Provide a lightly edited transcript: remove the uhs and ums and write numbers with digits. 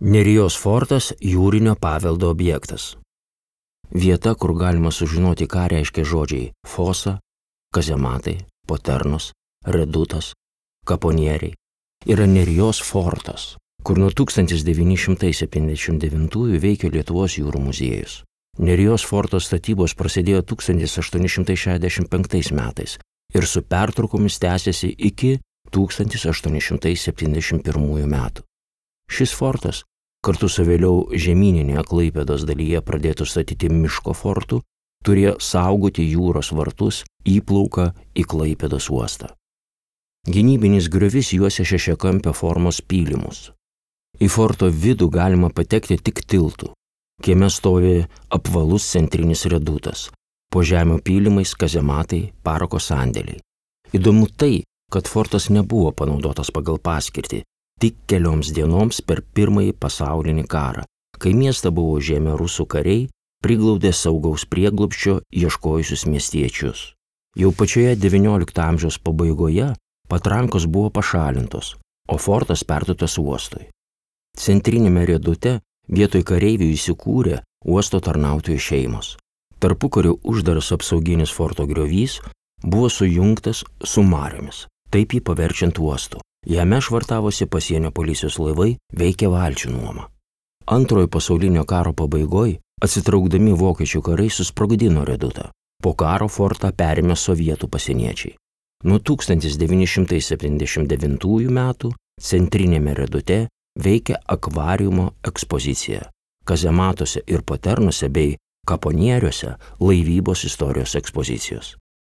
Nerijos fortas jūrinio paveldo objektas. Vieta, kur galima sužinoti, ką reiškia žodžiai fosa, kazematai, poternos, redutas, kaponieriai, yra Nerijos fortas, kur nuo 1979 veikia Lietuvos jūrų muziejus. Nerijos forto statybos prasidėjo 1865 metais ir su pertraukomis tęsėsi iki 1871 metų. Šis fortas, kartu su vėliau žemyninėje Klaipėdos dalyje pradėtų statyti miško fortų, turėjo saugoti jūros vartus įplauką į Klaipėdos uostą. Gynybinis griovys juosia šešiakampio formos pylimus. Į forto vidų galima patekti tik tiltu. Kieme stovi apvalus centrinis redutas, po žemio pylimais kazematai, parako sandėliai. Įdomu tai, kad fortas nebuvo panaudotas pagal paskirtį, tik kelioms dienoms per Pirmąjį pasaulinį karą, kai miestą buvo užėmę rusų kariai, priglaudė saugaus prieglobsčio ieškojusius miestiečius. Jau pačioje XIX amžiaus pabaigoje patrankos buvo pašalintos, o fortas perduotas uostui. Centrinėme redute vietoj kareivių įsikūrė uosto tarnautojų šeimos. Tarpukariu uždaras apsauginis forto griovys buvo sujungtas su mariomis, taip jį paverčiant uostu. Jame švartavosi pasienio policijos laivai, veikė valčių nuoma. Antrojo pasaulinio karo pabaigoje atsitraukdami vokiečių karai susprogdino redutą. Po karo fortą perėmė sovietų pasieniečiai. Nuo 1979 metų centrinėme redute veikia akvariumo ekspozicija. Kazematuose ir poternose bei kaponieriuose laivybos istorijos ekspozicijos.